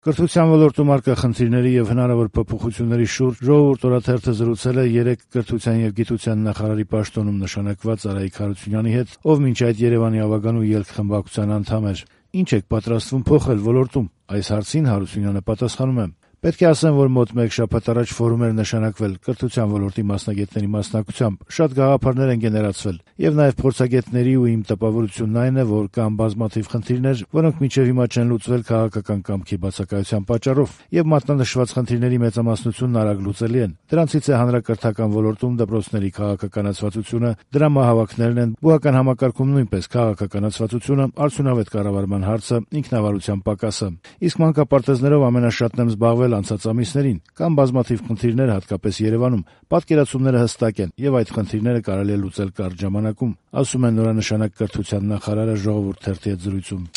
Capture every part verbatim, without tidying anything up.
Կրթության ոլորտում առկա խնդիրների եւ հնարավոր փոփոխությունների շուրջ «Ժողովուրդ» օրաթերթը զրուցել է երեկ կրթության եւ գիտության նախարարի պաշտոնում նշանակված Արայիկ Հարությունյանի հետ, ով մինչ այդ Երևանի ավագանու ելք խմբակցության անդամ էր։ Ինչ եք պատրաստվում փոխել ոլորտում։ Այս հարցին Հարությունյանը պատասխանում է. Պետք է ասեմ, որ մոտ մեկ շաբաթ առաջ ֆորում էր նշանակվել կրթության ոլորտի մասնագետների մասնակցությամբ, շատ գաղափարներ են գեներացվել, եւ նաեւ փորձագետների ու իմ տպավորությունն այն է, որ կան բազմաթիվ խնդիրներ, որոնք մինչեւ հիմա չեն լուծվել քաղաքական կամքի բացակայության պատճառով, եւ մատնանշված խնդիրների մեծամասնությունն արագ լուծելի են։ Դրանցից է հանրակրթական ոլորտում դպրոցների քաղաքականացվածությունը, դրամահավաքներն են, բուհական համակարգում նույնպես քաղաքականացվածությունը, արդյունավետ կառավարման հարցը, ինքնավարության պակասը։ Իսկ մանկապարտեզներով ամենաշատն եմ զբաղվել անցած ամիսներին, կան բազմաթիվ խնդիրներ հատկապես Երևանում, պատկերացումները հստակ են եւ այդ խնդիրները կարելի է լուծել կարճ ժամանակում, ասում է նորանշանակ կրթության նախարարը «Ժողովուրդ» թերթի հետ զրույցում։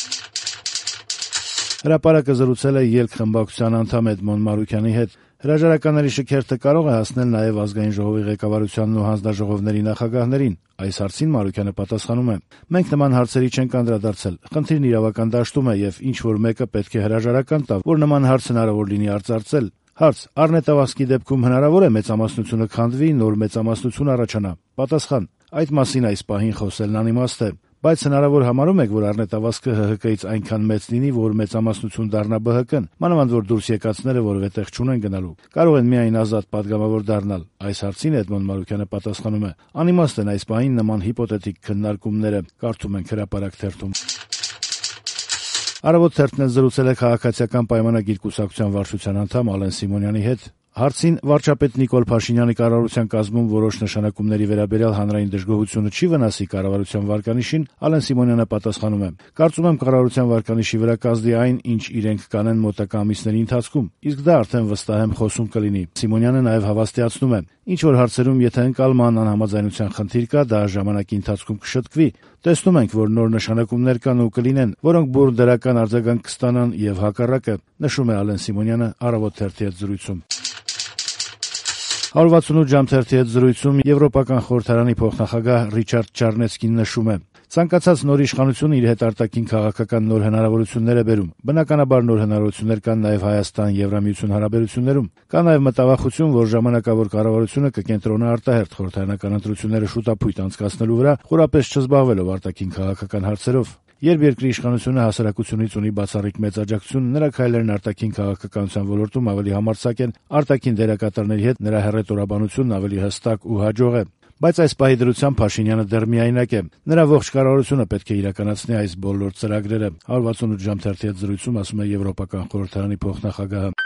Հրապարակը զրուցել է ելք խմբակցության անդամ Էդմոն Մարուքյանի հետ։ Հրաժարականների շքերթը կարող է հասնել նաեւ ազգային ժողովի ղեկավարությանն ու հանձնաժողովների նախագահներին։ Այս հարցին Մարուքյանը պատասխանում է. Մենք նման հարցերի չենք անդրադարձել։ Խնդիրն իրավական դաշտում է եւ ինչ որ մեկը պետք է հրաժարական տա, որ նման հարց հնարավոր լինի արծարծել։ Հարց. Առնետավազքի դեպքում հնարավոր է մեծամասնությունը քանդվի, նոր մեծամասնություն առաջանա։ Պատասխան. Այդ մասին այս պահին խոսելն անիմաստ է։ Բայց հնարավոր համարում եք, որ առնետավազքը Հ Հ K-ից այնքան մեծ լինի, որ մեծամասնություն դառնա B H K-ն, մանավանդ որ դուրս եկածները որևէ տեղ չունեն գնալու։ Կարող են միայն ազատ падգամավոր դառնալ։ Այս հարցին Էդմոն Մարուքյանը պատասխանում է. Անիմաստ են այս պահին նման հիպոթետիկ քննարկումները, կարդում ենք Հրապարակ թերթում։ Առավոտ թերթն զրուցել է քաղաքացիական պայմանագիր կուսակցության վարչության անդամ Ալեն Սիմոնյանի հետ։ Հարցին վարչապետ Նիկոլ Փաշինյանի կառավարության կազմում որոշ նշանակումների վերաբերյալ հանրային դժգոհությունը չի վնասի կառավարության վարկանիշին, Ալեն Սիմոնյանը պատասխանում է. Կարծում եմ կառավարության վարկանիշի վրա կազդի այն, ինչ իրենք կանեն մոտակա ամիսների ընթացքում, իսկ դա արդեն վստահ եմ խոսում կլինի։ Սիմոնյանը նաև հավաստիացնում է. ինչ որ հարցերում եթե ընկալման անհամաձայնության խնդիր կա, դա ժամանակի ընթացքում կշտկվի։ Տեսնում ենք, որ նոր նշանակումներ կան ու կլինեն, որոնք բուռ դրական արձագանք կստանան եւ հակառակը, նշում է Ալեն Սիմոնյանը Առավոտ թերթի հետ զրույցում։ one sixty-eight ժամ թերթի հետ զրույցում Եվրոպական խորհրդարանի փոխնախագահ Ռիչարդ Չարնեցկին նշում է. Ցանկացած նոր իշխանություն իր հետ արտաքին քաղաքական նոր հնարավորություններ է բերում։ Բնականաբար նոր հնարավորություններ կան նաև Հայաստան-Եվրամիություն հարաբերություններում։ Կա նաև մտավախություն, որ ժամանակավոր կառավարությունը կկենտրոնա արտահերթ խորհրդարանական ընտրությունները շուտապույտ անցկացնելու վրա, խորապես չզբաղվելով արտաքին քաղաքական հարցերով։ Երբ երկրի իշխանությունը հասարակությունից ունի բացառիկ մեծ աջակցություն, նրա քայլերն արտաքին քաղաքականության ոլորտում ավելի համարձակ են, արտաքին դերակատարների հետ նրա հեռետորաբանությունն ավելի հստակ ու հաջող է։ Բայց այս պահի դրությամբ Փաշինյանը դեռ միայնակ է։ Նրա ողջ կառավարությունը պետք է իրականացնի այս բոլոր ծրագրերը։ one sixty-eight ժամ թերթի հետ զրույցում ասում է Եվրոպական խորհրդարանի փոխնախագահը։